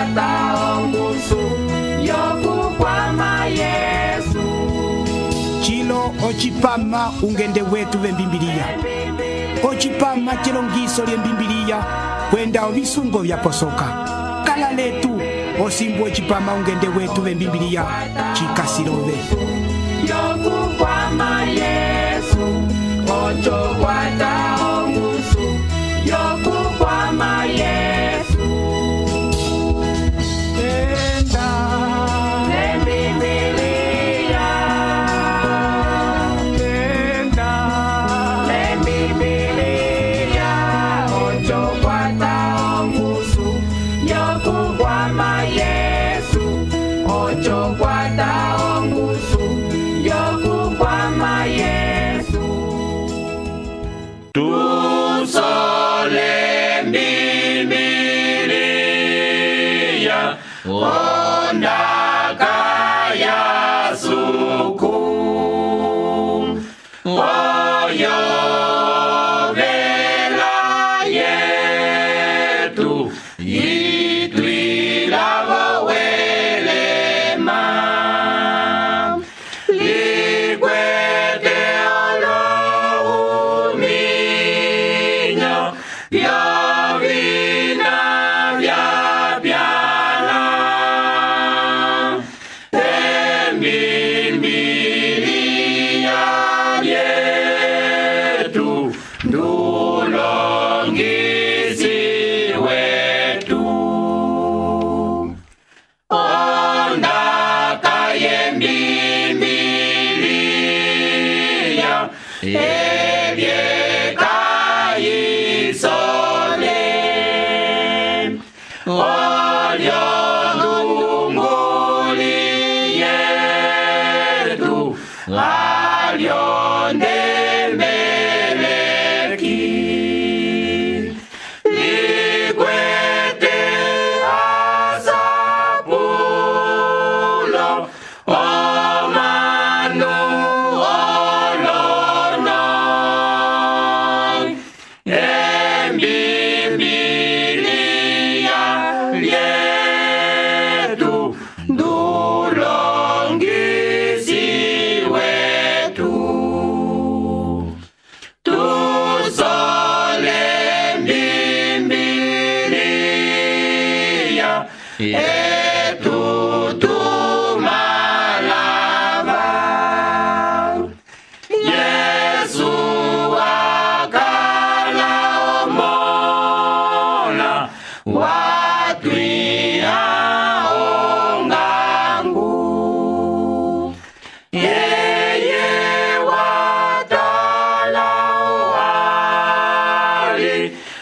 kwata ongusu yokukwama Yesu. Chilo ochipama ungende wetu vembimbiliya. Ochipama chilongiso lyembimbiliya kwenda ovisungo vyaposoka. Kala letu osimbu ochipama ungende wetu vembimbiliya chikasilove. Yokukwama Yesu, ocho kwata ongusu yokukwama Yesu. Enda lembibiliya, enda lembibiliya, ocho kwata ongusu yokukwama Yesu, ocho kwata ongusu yokukwama Yesu. Tusole Bibiliya, ondaka ya suku, oyo vela yetu, itwilavo welema, likwete olo uminyo, vyovina vyapyala, embimbiliya yetu, ndulongisi wetu. Ondaka yembimbiliya, ebyeka isole, olyo ndunguli yetu, alyo ndembeleki, likwete asapulo, omanu olono, embimbiliya yetu, ndulongisi wetu. Tusole Bibiliya, etu tumalava. Yesu akala omola, watwiha ongangu. Yeye watala wali,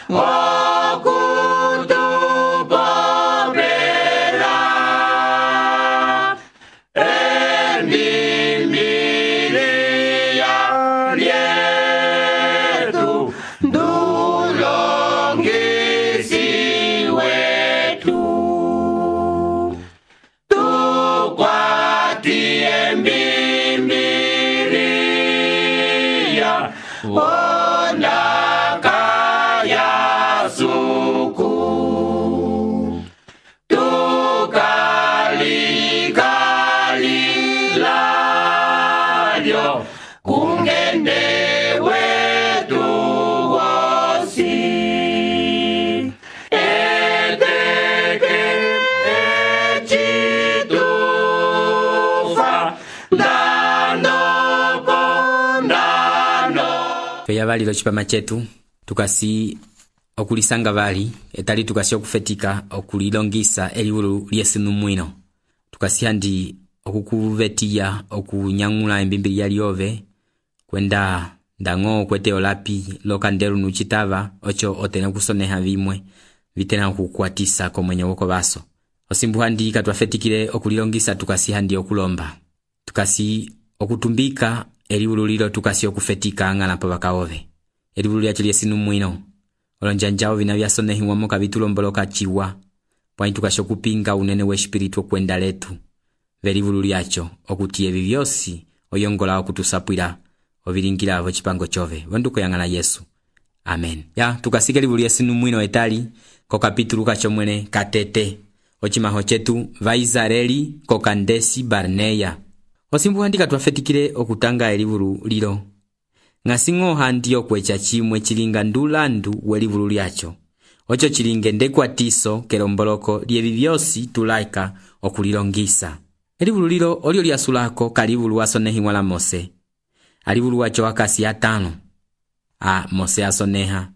okutupopela, embimbiliya lyetu, ndulongisi wetu. Tukwati embimbiliya, ondaka ya suku, tukalikalilyo, kungende wetu wosi, eteke echitufa, ndanopo ndano. Tweya valilo chipama chetu tukasi okulisanga vali etali tukasi okufetika okulilongisa eliwulu lyesinu mwino, tukasi handi okukuvetiya okunyang'ula embimbiliya lyove kwenda ndango kwete olapi lokanderu nuchitava ocho otena kusoneha vimwe vitena kukwatisa komwenye woko baso. Osimbu handi katwafetikile okulilongisa tukasi handi okulomba, tukasi okutumbika eliwulu lilo tukasi okufetika ng'alapo bakaove eliwulu lyacho lyesinu mwino olonjanjao vina vyasonehiwa moka vitulomboloka chiwa pwanyi tukasi okupinga unene we espiritu kwenda letu velivulu lyacho okuti evi vyosi oyongola okutusapwila ovilingilavo chipango chove vonduko yang'ana Yesu. Amen. Ya tukasike livulu lyesinu mwino etali ko kapitulu kacho mwene katete ocimaho cetu vaisraeli ko Kandesi Barneya. Osimbu handika twafetikile okutanga elivulu lilo. Ng'asiŋo handi okwecha chimwe chilinga ndulandu welivulu lyacho. Ocho chilinge ndekwatiso kelomboloko lyevi vyosi tulaika okulilongisa. Elivulu lilo olio lyasulako kalivulu wasonehiwa la Mose. Alivulu wacho wakasi ya 5. Mose asoneha.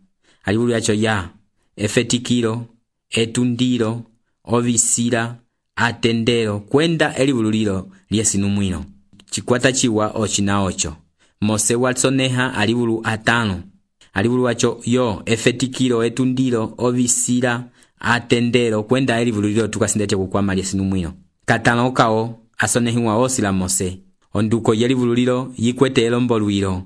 Alivulu yacho ya efetikilo, etundilo, ovisila, atendelo kwenda elivulu lilo lyesinumwino. Chikwata chiwa ochina ocho. Mose wasoneha alivulu 5. Alivulu wacho yo efetikilo, etundilo, ovisila, atendelo kwenda elivulu lilo tukasindete kukwama lyesinumwino. Katano kao asonehiwa osi la Mose. Onduko yelivulu lilo yikwete elombolwilo.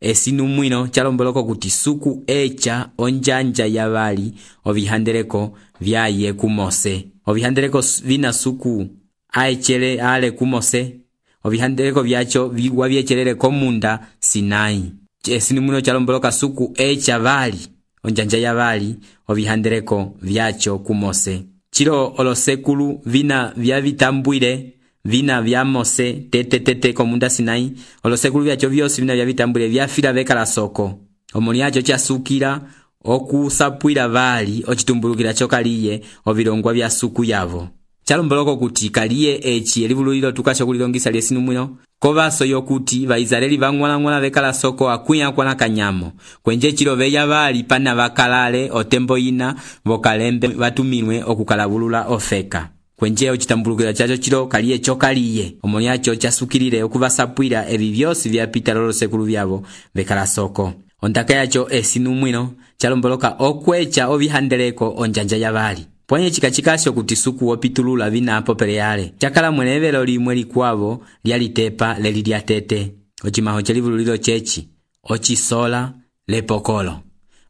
Esinumwino chalomboloko kuti suku echa onjanja ya vali ovihandeleko vyaye ku Mose. Ovihandeleko vina suku aechele ale ku Mose. Ovihandeleko vyacho waviechelele komunda Sinai. Esinumwino chalomboloka suku echa vali onjanja ya vali ovihandeleko vyacho ku Mose. Chilo olosekulu vina vyavitambwile vina vya Mose tete komunda Sinai. Olosekulu vyacho vyosi vina vyavitambwile vyafila vekala soko. Omoni yacho chasukila okusapwila vali ochitumbulukila chokaliye ovilongwa vya suku yavo. Chalomboloko kuti kaliye echi elivulu lilo tukasho kulilongisa lyesinumwino. Kovaso yokuti vaisraeli vang'wala vekala soko akuya kwana kanyamo. Kwenje chilo veya vali pana vakalale otembo ina vokalembe vatumilwe okukalabulula ofeka. Kwenje ochitambulukila chacho chilo kaliye chokaliye. Omoni yacho chasukilile okuvasapwila evi vyosi vyapita lolosekulu vyavo vekala soko. Ondaka yacho esinumwino chalomboloka okwecha ovihandeleko onjanja ya vali. Pwenye chikachikasho kuti suku wopitulula vina apopele yale. Chakala mwenevelo limwe likwavo lyalitepa leli lyatete. Ochimaho chelivulu lilo chechi. Ochisola lepokolo.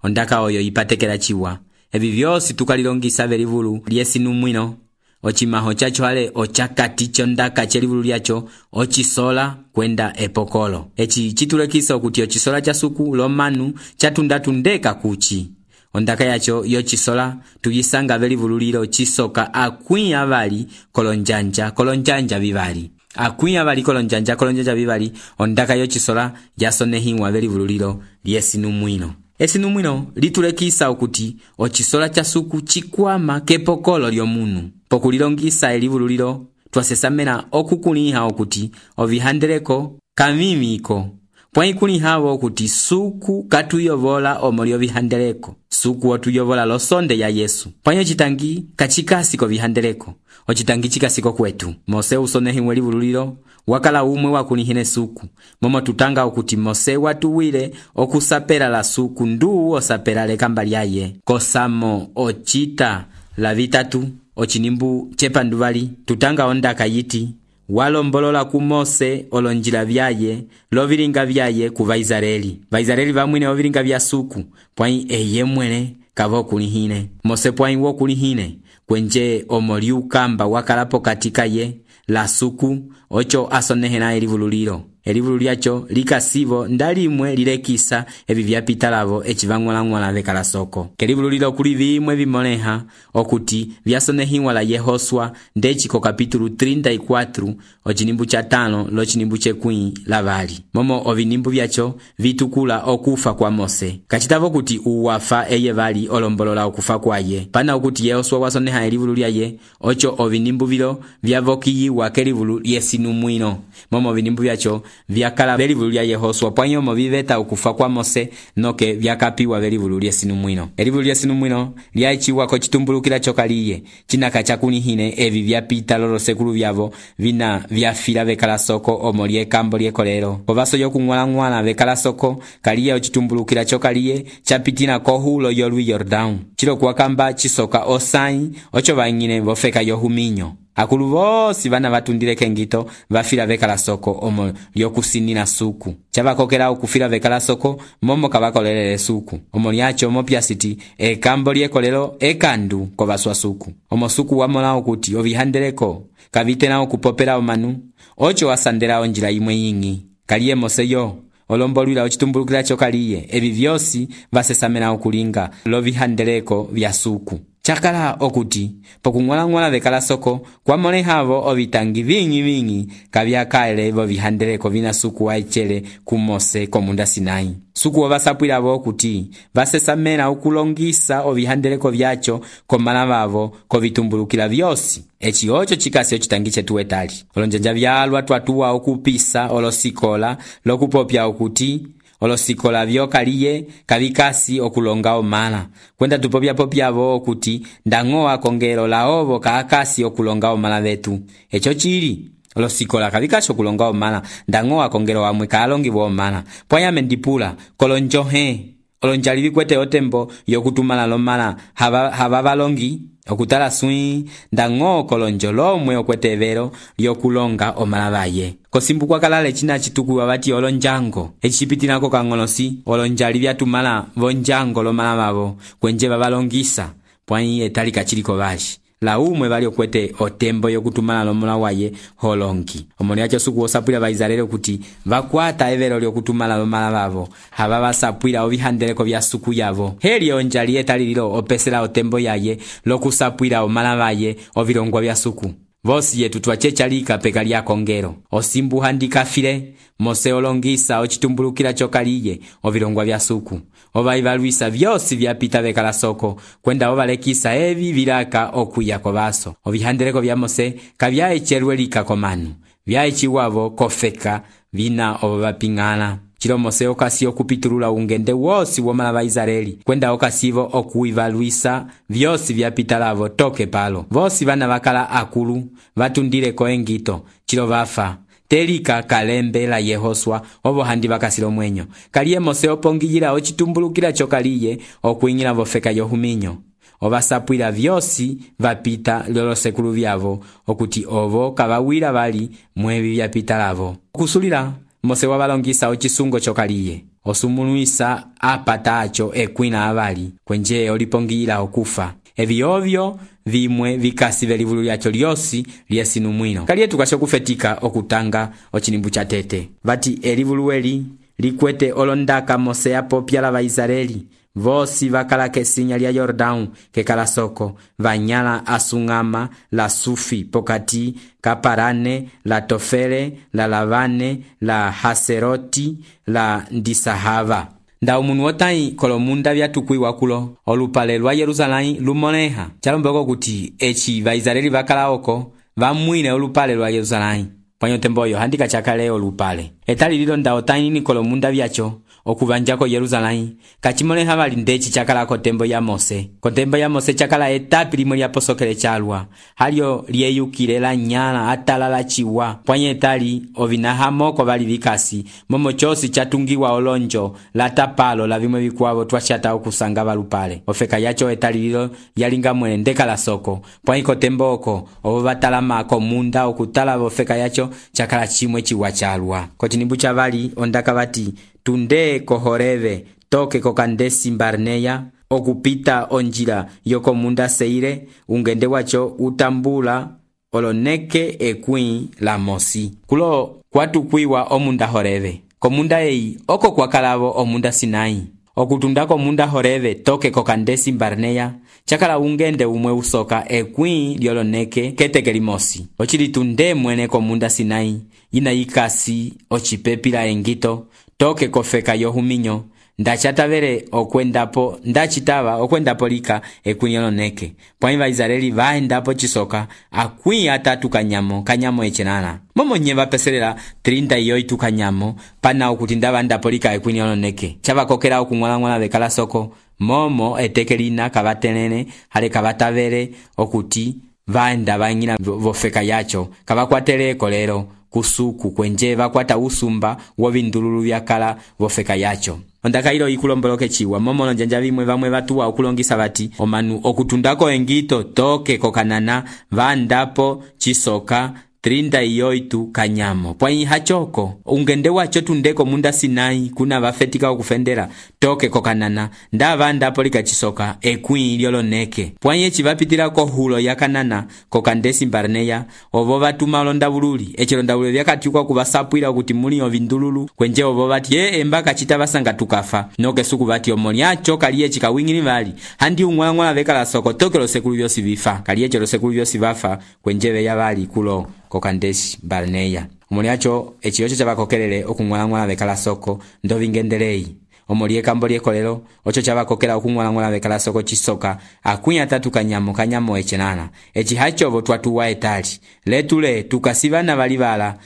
Ondaka oyo ipatekela chiwa. Evi vyosi tukalilongisa velivulu lyesinumwino. Ochimaho chacho hale ochakati chondaka chelivulu lyacho ochisola kwenda epokolo. Echi chitulekisa kuti ochisola cha suku lomanu chatundatundeka kuchi. Ondaka yacho yochisola tuyisanga velivulu lilo chisoka akuya vali kolonjanja vivali. Akuya vali kolonjanja vivali. Ondaka yochisola yasonehiwa velivulu lilo lyesinumwino. Esinumwino litulekisa okuti ochisola cha suku chikwama kepokolo lyomunu. Pokulilongisa elivulu lilo twasesamena okukuliha okuti ovihandeleko kamimiko. Pwaikulihawo okuti suku katuyovola omoli ovihandeleko. Suku otuyovola losonde ya Yesu. Pwanyo chitangi kachikasiko vihandeleko. Ochitangi chikasiko kwetu. Mose usonehiwe elivulu lilo wakala umwe wakulihine suku. Momo tutanga okuti Mose watuwile okusapela la suku ndu osapela lekamba lyaye. Kosamo ochita la vitatu ochinimbu chepanduvali tutanga ondaka yiti walombolola ku Mose olonjila vyaye lovilinga vyaye ku Vaisraeli. Vaisraeli vamwine ovilinga vya suku pwai eye mwene kavo kulihine. Mose pwai wo kulihine kwenje omoli ukamba wakalapo katika ye la suku ocho asonehena elivulu lilo. Elivulu lyacho likasivo ndalimwe lilekisa evi vyapitalavo echivang'wala vekala soko. Kelivulu lilo kuli vimwe vimoleha okuti vyasonehiwa la Yehosua ndechiko kapitulu 34 ochinimbu cha 5 lochinimbu chekwi la vali. Momo ovinimbu vyacho vitukula okufa kwa Mose. Kachitavo kuti uwafa eye vali olombolola okufa kwaye. Pana okuti Yehosua wasoneha elivulu lyaye ocho ovinimbu vilo vyavokiyiwa kelivulu lyesinumwino. Momo ovinimbu vyacho vyakala velivulu lya Yehosua pwanyomo viveta ukufa kwa Mose noke vyakapiwa velivulu lyesinumwino. Elivulu lyesinumwino lyaichiwa ko chitumbulukila chokaliye chinaka chakunihine evi vyapita lolosekulu vyavo vina vyafila vekala soko omoli ekambo lyekolelo. Kovaso yokung'wala vekala soko kaliye ochitumbulukila chokaliye chapitina kohulo yolwi Yordan. Chilo kuwakamba chisoka osai ocho vangine vofeka yohuminyo. Akulu vosi vana vatundile kengito vafila vekala soko omo lyokusinina suku. Chavakokela ukufila vekala soko momo kavakolelele suku. Omo lyacho mopyasiti ekambo lyekolelo ekandu kovaswa suku. Omo suku wamola okuti ovihandeleko kavitena okupopela omanu ocho wasandela onjila imwe yingi. Kaliye Mose yo olombolwila ochitumbulukila chokaliye evi vyosi vasesamena okulinga lovihandeleko vya suku. chakala okuti pokung'wala-ng'wala vekala soko kwamolehavo ovitangi ving'i kavyakaele vovihandeleko vina suku waecele kumose komunda Sinai. Suku ovasapwilavo okuti vasesamela okulongisa ovihandeleko vyacho komala vavo kovitumbulukila vyosi. Eci ocho chikasi ocitangi chetu etali olonjanja vyalwa twatuwa okupisa olosikola lokupopya okuti olosikola vyokaliye kavikasi okulonga omala kwenda tupopya-popyavo okuti ndang'oa kongelo laovo kaakasi okulonga omala vetu. Echo chili olosikola kavikasi okulonga omala ndang'oa kongelo wamwe kaalongibwa omala pwanyame ndipula kolonjohe olonjali vikwete otembo yokutumala lomala hava valongi okutala swi ndang'o kolonjo lomwe okwete evero lyokulonga omala vaye. Kosimbu kwakalale china chitukuwa vati olonjango ecipitilako kang'olosi olonjali vyatumala vonjango lomala vavo kwenje vavalongisa pwanyi etali kachiliko vashi la umwe vali okwete otembo yokutumala lomala waye holongi. Omoni yacho suku osapwila vaizalele kuti vakwata evero lyokutumala lomala vavo hava vasapwila ovihandeleko vya suku yavo. Heli onjali etali lilo opesela otembo yaye lokusapwila omala vaye ovilongwa vya suku. Vosi yetu twachechalika peka lya kongero osimbu handikafile mose olongisa ocitumbulukila chokaliye ovilongwa vya suku ovaivalwisa vyosi vyapita vekala soko kwenda ovalekisa evi vilaka okuya kovaso. Ovihandeleko vya mose kavyaechelwelika komanu vyaeciwavo kofeka vina ovaping'ala. Chilo mose okasi okupitulula ungende wosi womala va Israeli kwenda okasivo okuivalwisa vyosi vyapitalavo toke palo. Vosi vana vakala akulu vatundileko engito chilo vafa telika kalembe la Yehoswa ovo handi vakasilo mwenyo kaliye mose opongiyila ocitumbulukila chokaliye okuing'ila vofeka yohuminyo ovasapwila vyosi vapita lolosekulu vyavo okuti ovo kavawila vali mwevi vyapitalavo. Okusulila mose wavalongisa ocisungo chokaliye osumulwisa apatacho ekwina avali kwenje olipongiyila okufa. Evi ovyo vimwe vikasi velivulu lyacho lyosi lyesinu mwino kaliye tukasho kufetika okutanga ochinimbu cha tete vati elivuluweli likwete olondaka mose yapopyala va Israeli vosi vakala kesinya lya Yordão kekala soko vanyala asung'ama la Sufi pokati kaparane la Tofele la Lavane la Haseroti la Ndisahava. Nda umunu wotai kolomunda vyatukwiwa kulo olupale lwa Yerusalai lumoleha chalombeko kuti eci vaisraeli vakala oko vamwine olupale lwa Yerusalai panyotemboyo handika chakale olupale etali lilo nda otai ni kolomunda vyacho okuvanjako Yerusalai kachimoleha vali ndechi chakala kotembo ya Mose. Kotembo ya Mose chakala etapi limwe lya posokele chalwa halio lyeyukile la nyala atalala chiwa pwanye etali ovinahamoko vali vikasi momo chosi chatungiwa olonjo la tapalo la vimwe vikwavo twashata okusanga valupale ofeka yacho etali lilo yalinga mwene ndeka la soko pwanye kotembo oko ovo vatalamako munda okutala vofeka yacho chakala chimwe chiwa chalwa. Kotinimbu cha vali ondaka vati tunde kohoreve toke kokandesi Barneya okupita onjila yokomunda Seire ungende wacho utambula oloneke ekwi la Mosi kulo kwatukwiwa omunda Horeve komunda ei oko kwakalavo omunda Sinai okutundako munda Horeve toke kokandesi Barneya chakala ungende umwe usoka ekwi lyoloneke ketekeli Mosi ochilitunde mwene komunda Sinai yina yikasi ochipepila engito toke kofeka yohuminyo ndachatavere okwendapo ndachitava okwendapo lika ekwinyoloneke pwani va Israeli vaendapo chisoka akwi atatu kanyamo echenana momo nye vapeselela 38 kanyamo pana okuti ndava ndapo lika ekwinyoloneke chava kokela okung'wala-ng'wala vekala soko momo etekelina kavatenene hale kavatavere okuti vaenda vang'ina vofeka yacho kavakwateleko lero kusuku kwenje vakwata usumba wovindululu vyakala vofeka yacho. Ondaka ilo ikulomboloke chiwa momo lonjanja vimwe vamwe vatuwa okulongisa vati omanu okutundako engito toke kokanana vandapo chisoka 38 kanyamo. Pwai hachoko ungende wacho tundeko munda Sinai kuna vafetika okufendera toke kokanana nda vanda polika chisoka ekwi lyoloneke. Pwai echi vapitira ko hulo ya Kanana kokandesi Barneya ovo vatuma londa bululi echilonda bululi yakatiukwa kuvasapwira kuti muli ovindululu kwenje ovo vati embaka chita vasanga tukafa noke suku vati omoni acho kaliye chikawingini vali handi umwangwa vekala soko toke lo sekulu vyosi vifa kaliye chelo sekulu vyosi vafa kwenjeve ya vali kulo kokandesi Barneya. Omoni acho echiyocho chavakokelele okungwala vekala soko ndovingendelei. Omoli ekambo lyekolelo ocho chavakokela okungwala vekala soko chisoka akunya tatu kanyamo echenana echi hachovo twatuwa etali letule tukasivana valivala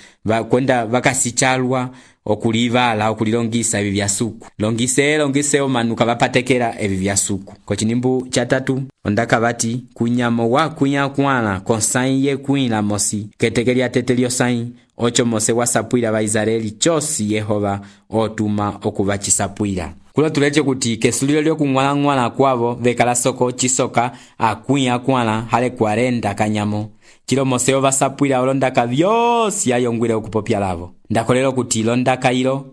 kwenda vakasichalwa okulivala okulilongisa evi vya suku longise omanuka vapatekera evi vya suku. Kochinimbu chatatu ondaka vati kunyamo wa kunyakwala konsai ye kuila mosi ketekelia tetelio sai ocho mose wasapwira va Israeli chosi Yehova otuma okuvachisapwira. Kulo tuleche kuti kesulilo lyo kungwala kwavo vekala soko chisoka akunya kwala hale 40 kanyamo chilo mose ovasapwira olondaka vyosi ayongwile okupopya lavo. Ndakolelo kuti londaka ilo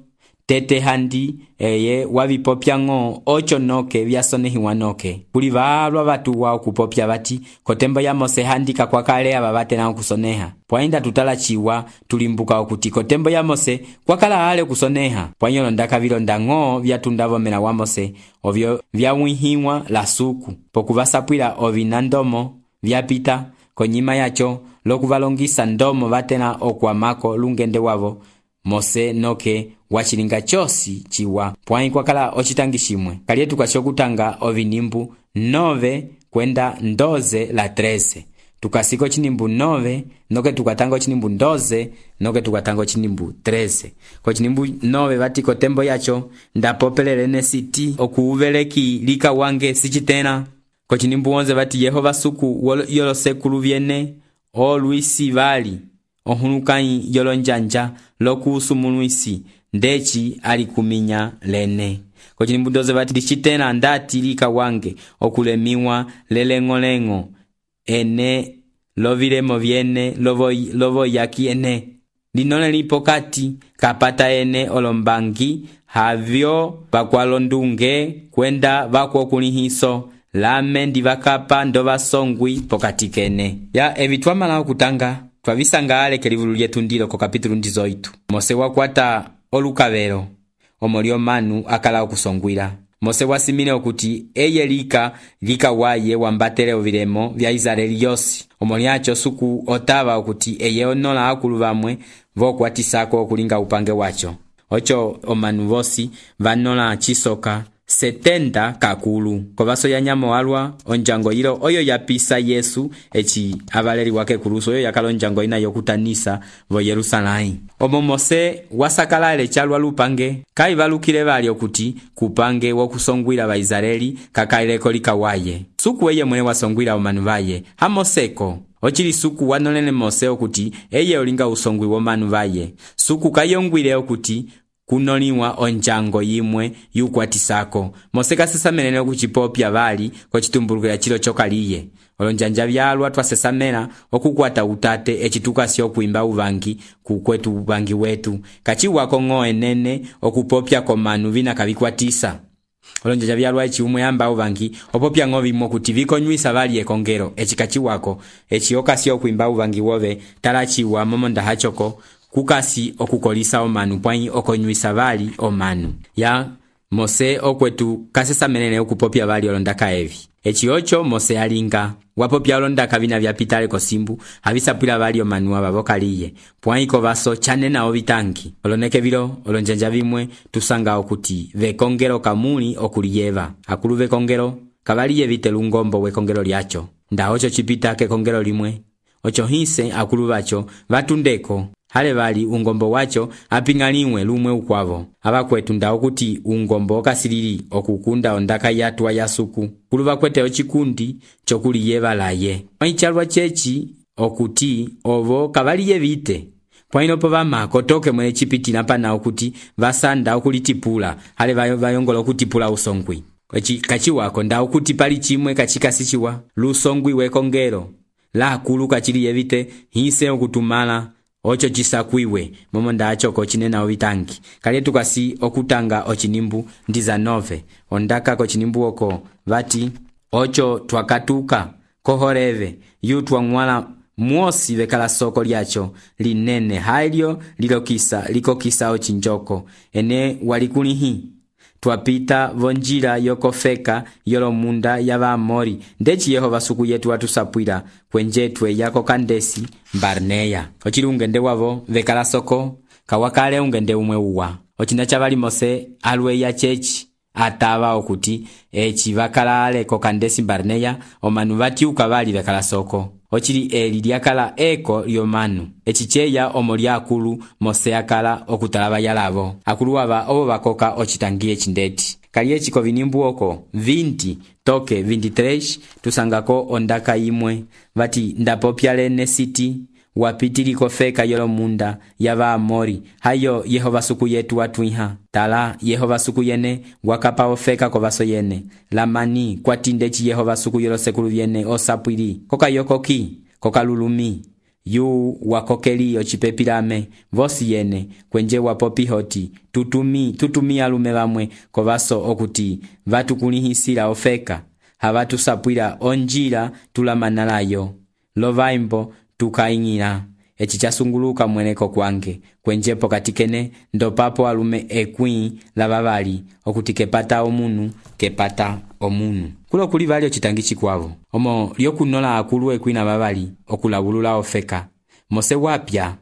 tete handi eye wavipopya ngo ocho noke vyasonehiwa noke kuli valwa vatuwa okupopya vati kotembo ya mose handika kwa kale aba batena okusoneha. Pwainda tutala chiwa tulimbuka okuti kotembo ya mose kwa kala hale kusoneha pwanyolo ndaka vilonda ngo vyatundavo mena wa mose ovyo vyamwihiwa la suku pokuvasapwira ovinandomo vyapita konyima yacho lokuvalongisa ndomo vatena okwamako lungende wavo mose noke wachilinga chosi chiwa pwai kwa kala ochitangishimwe kaliye tukashokutanga ovinimbu 9 kwenda 12 la 13 tukasiko chinimbu 9 noke tukatanga chinimbu 12 noke tukatanga chinimbu 13 ko chinimbu 9 vati kotembo yacho ndapopelelene siti okuuveleki lika wange sichitena. Ko chinimbu 11 vati Yehova suku yolo sekulu vyene o luisi vali ohunukai yolo njanja lokusumuluisi ndechi alikuminya lene. Ko chinimbu 12 vati dichitena ndati lika wange okulemiwa lelengolengo ene lovilemo vyene lovo yaki ene linole lipokati kapata ene olombangi havyo vakwalondunge kwenda vakwokulihiso lame ndivakapa ndovasongwi pokati kene ya evitwamala okutanga twavisanga aleke livulu lyetu ndilo ko kapitulu ndizoitu. Mose wakwata olukavero omolio manu akala okusongwira. Mose wasimile okuti eye lika waye wambatele ovilemo vya Israeli yosi. Omoli acho suku otava okuti eye onola akulu vamwe vokwatisako okulinga upange wacho. Ocho omanu vosi vanola chisoka 70 kakulu. Kovaso ya nyamo alwa onjango ilo oyo yapisa Yesu echi avaleri wake kuruso oyo yakalo onjango ina yokutanisa vo Yerusalai. Omo Mose wasakala ele chalwa lupange kai valukile vali okuti kupange wokusongwira va Israeli kakaileko likawaye. Suku eye mwene wasongwira omanu vaye hamoseko. Ochili suku wanolene Mose okuti eye olinga usongwi womanu vaye. Suku kayongwile okuti kunoliwa onjango yimwe yukwatisako. Mose kasesamene okuchipopya vali ko chitumbulukira chilo chokaliye. Olonjanja vyalwa twasesamena okukwata utate echitukasi okuimba uvangi kukwetu uvangi wetu. Kachiwako ngo enene okupopya komanu vina kavikwatisa. Olonjanja vyalwa echi umwe yamba uvangi opopya ngo vimo kuti vikonywisa vali ekongero echikachiwako echiokasi okuimba uvangi wove talachiwa momonda hachoko kukasi okukolisa omanu pwai okonywisa vali omanu. Ya Mose okwetu kasesamene okupopya vali olondaka evi. Echi ocho Mose alinga wapopya olondaka vina vyapitale kosimbu havisapwila vali omanu abavokaliye pwai kovaso chanena ovitangi. Oloneke vilo olonjanja vimwe tusanga okuti vekongero kamuli okuliyeva akulu vekongero kavaliye vite lungombo wekongero lyacho nda ocho chipita kekongero limwe ocho hise akulu vacho vatundeko hale vali ungombo wacho apingaliwe lumwe ukwavo. Abakwetu nda okuti ungombo okasilili okukunda ondaka yatwa yasuku kuluva kwete ochikundi chokuliyeva laye. Maichalwa chechi okuti ovo kavaliye vite pwainopo vama kotoke mwene chipitila pana okuti vasanda okulitipula hale vayongola okutipula usongwi. Kachiwako nda okuti pali chimwe kachikasichiwa lusongwi wekongero la akulu kachili yevite hise okutumala ocho chisakwiwe momo ndacho kochinena ovitangi kalye tukasi okutanga ochinimbu ndiza 9 ondaka kochinimbu oko vati ocho twakatuka kohoreve yutwa ngwala mwosi vekala soko lyacho linene halyo likokisa ochinjoko ene walikulihi twapita vonjira yokofeka yolomunda yavamori ndechi Yehova suku yetu watusapwira kwenjetwe yako kandesi Barneya ochili ungende wavo vekala soko kawakale ungende umwe uwa ochinda chavali mose alwe ya chechi atava okuti echi vakala aleko kandesi Barneya omanu vatiuka vali vekala soko ochili eli lyakala eko lyomanu echicheya omo lya akulu mose akala okutalaba yalavo akulu ava obo bakoka ochitangie chindeti kali echi kovinimbu oko 20 toke 23 tusangako ondaka imwe vati ndapopyale ne city wapitiliko feka yolomunda yava amori hayo Yehova suku yetu watwiha tala Yehova suku yene wakapa ofeka kovaso yene lamani kwatindechi Yehova suku yolosekulu yene osapwili koka yokoki koka lulumi yu wakokeli ochipepilame vosi yene kwenje wapopihoti tutumi alume vamwe kovaso okuti vatukulihisila ofeka havatusapwila onjila tulamanalayo lovaimbo tukaing'ila echi chasunguluka mweneko kwange kwenjepo katikene ndopapo alume ekwi lavavali okuti kepata omunu kulo kuli vali ochitangi chikwavo omo lyokunola akulu ekwi na vavali okulabulula ofeka mose wapya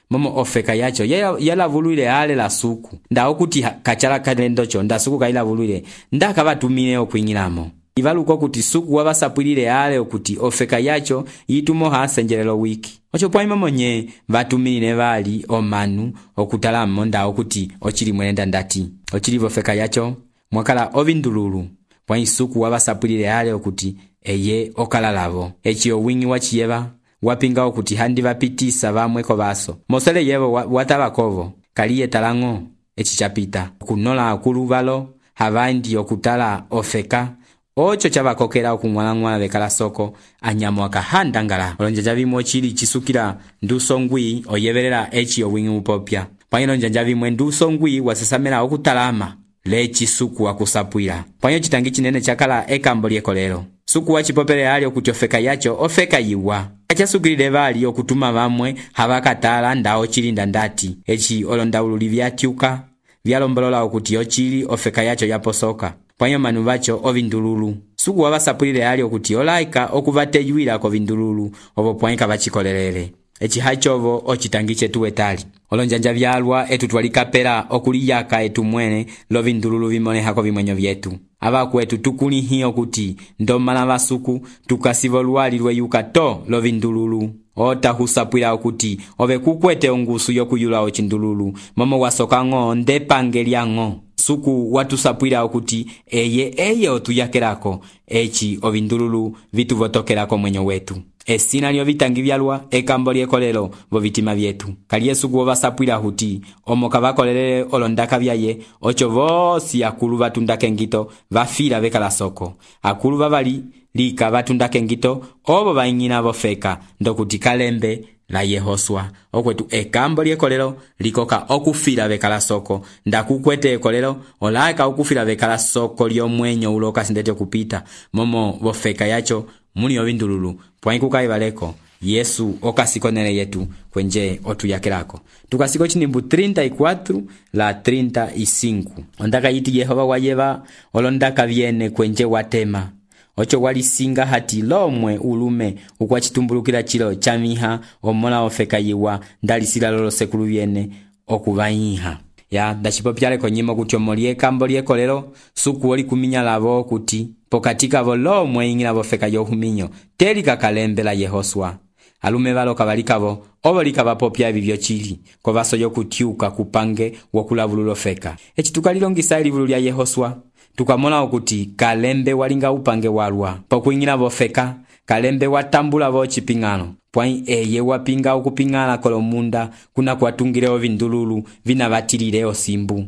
momo ofeka yacho yalavulwile ale la suku nda okuti kachala kalendocho nda suku kailavulwile nda kavatumile okuing'ilamo ivaluko kuti suku wavasapwilile ale okuti ofeka yacho yitumo hasenjelelo wiki ocho pwaima monye vatumilile vali omanu okutalamo nda okuti ochili mwenda ndati ochili ofeka yacho mwakala ovindululu pwa isuku wavasapwilile ale okuti eye okalalavo echi owingi wachiyeva wapinga okuti handi vapitisa vamwe kovaso mosele yevo watavakovo kaliye talango echi chapita kunola akulu valo havandi okutala ofeka ocho chavakokela okung'walang'wala vekala soko anyamo akahanda ngala olonjanja vimwe chili chisukila ndusongwi oyevelela echi owingi upopya pwanyo lonjanja vimwe ndusongwi wasesamela okutalama lechi suku wakusapwila pwanyo chitangi chinene chakala ekambo lyekolelo suku wachipopele ali okuti ofeka yacho ofeka yiwa achasukilile vali okutuma vamwe havakatala ndawo chilinda ndati echi olondaululi vyatyuka vyalombolola okuti ochili ofeka yacho yaposoka pwanyo manu vacho ovindululu suku wavasapwilile ali okuti olaika okuvateyuila kovindululu ovo pwanika vachikolelele echi hachovo ochitangi chetu wetali olonjanja vyalwa etu twalikapela okuliyaka etu mwene lovindululu vimonehako vimwenyo vyetu avakwetu tukulihi okuti ndomala vasuku tukasivo lwali lweyuka to lovindululu otahusapwila okuti ove kukwete ongusu yokuyula ochindululu momo wasokang'o ndepange lyang'o suku watusapwila okuti eye otuyakelako echi ovindululu vituvotokelako mwenyo wetu esina lyo vitangi vyalwa ekambo lyekolelo vo vitima vyetu kali suku wovasapwila huti omo kavakolelele olondaka vyaye ocho vosi akulu vatundake ngito vafila vekala soko akulu vavali lika vatundake ngito ovo vaing'ina vofeka ndokuti kalembe la Yehoswa okwetu ekambo lyekolelo likoka okufila vekala soko ndakukwete ekolelo olaika okufila vekala soko lyomwenyo uloka sindete kupita momo vofeka yacho muni ovindululu pwaikuka ivaleko Yesu okasikonele yetu kwenje otuyakelako tukasiko chinimbu 34 la 35 ondaka yiti Yehova wayeva olondaka vyene kwenje watema ocho walisinga hati lomwe ulume ukwachitumbulukila chilo chamiha omola ofeka yiwa ndalisila lolo sekulu vyene okuvayiha ya ndachipopyale konyimo kuti omolie kambo lyekolelo suku oli kuminya lavo kuti pokatika volomwe ingila vofeka yohuminyo teli kakalembela Yehoswa alume valo kavalikavo ovo likavapopya vivyo chili kovaso yokutyuka kupange wokulavulula ofeka echi tukalilongisa elivulu lya Yehoswa tukamola okuti kalembe walinga upange walwa pokuingila vofeka kalembe watambula vo chipingano pwai eye wapinga okupingala kolomunda kuna kwatungile ovindululu vinavatilile osimbu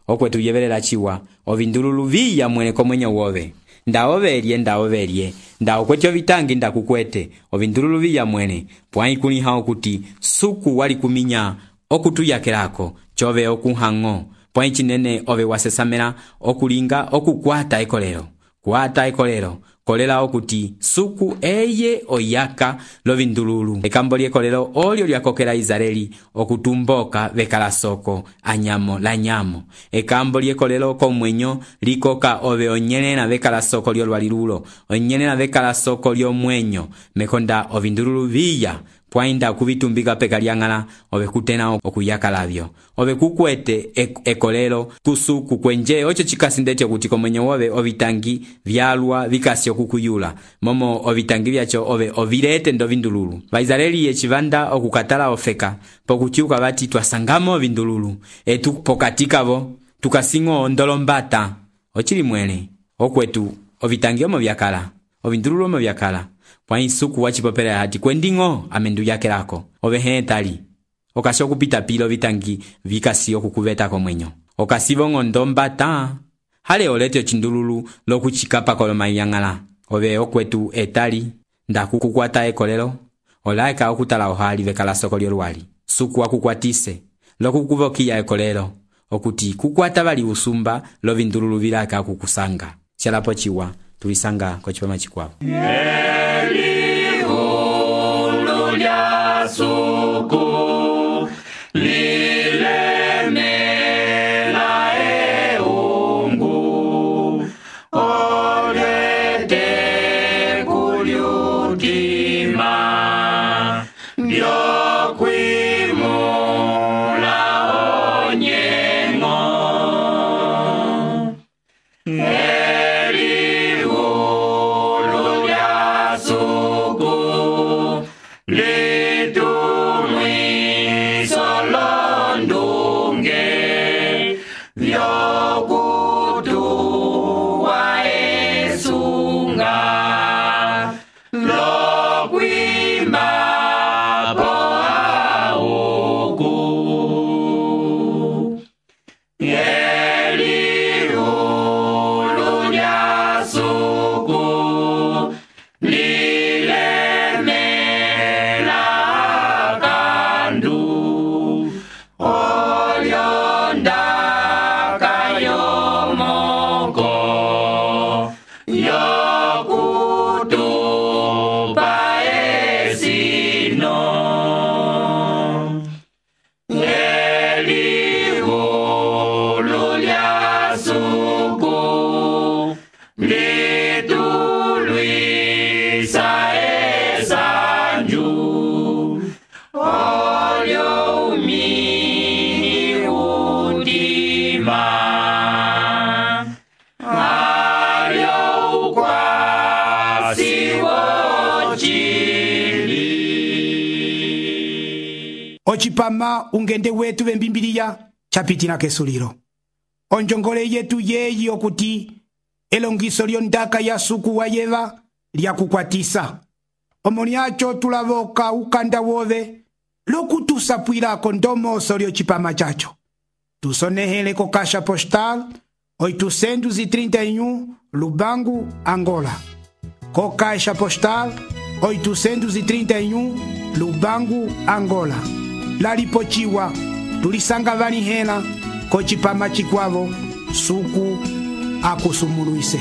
okwetu yevelela chiwa ovindululu viya mwene komwenye wove ndaovelye nda okwete ovitangi nda kukwete ovindululu viya mwene pwai kuliha okuti suku wali kuminya okutuyakelako chove okuhango pwai chinene ove wasesamela okulinga okukwata ekolelo kwata ekolelo kolela okuti suku eye oyaka lovindululu ekambo lyekolelo olyo lyakokela Israeli okutumboka vekalasoko anyamo la nyamo ekambo lyekolelo komwenyo likoka ove onyelela vekalasoko lyolwalilulo onyelela vekalasoko lyomwenyo mekonda ovindululu viya pwainda kuvitumbika peka lyang'ala ove kutena okuyaka lavyo ove kukwete ekolelo kusuku kwenje ocho chikasindete kuti komwenyo wove ovitangi vyalwa vikasi okukuyula momo ovitangi vyacho ove ovilete ndovindululu Vaisraeli yechivanda okukatala ofeka pokutyuka vati twasangamo ovindululu etu pokati kavo tukasingo ondolombata ochili mwele okwetu ovitangi omo vyakala ovindululu omo vyakala pwai suku wachipopela hati kwendingo amendu yakelako ove hetali okasi okupita pilo vitangi vikasi okukuveta komwenyo okasivongo ndombata hale olete ochindululu lokuchikapa kolomayang'ala ove okwetu etali ndakukukwata ekolelo olaeka okutala ohali vekalasoko lyolwali suku wakukwatise lokukuvokiya ekolelo okuti kukwata vali usumba lovindululu vilaka kukusanga chalapo chiwa tulisanga kochipama chikwavo Elihulu lya suku lilemela eungu olete kulyutima lyokwimula onyengo Ochipama ungende wetu vembimbiliya chapitila kesulilo. Onjongole yetu yeyi okuti elongiso lyondaka ya suku wa yeva lya kukwatisa. Omoniacho tulavoka ukanda wove lokutusapwilako ndomoso lyochipama chacho. Tusonehele ko Caixa Postal 831 Lubangu, Angola. Ko Caixa Postal 831 Lubangu, Angola. Lalipochiwa tulisanga vanihela ko chipama chikwavo suku akusumuluise.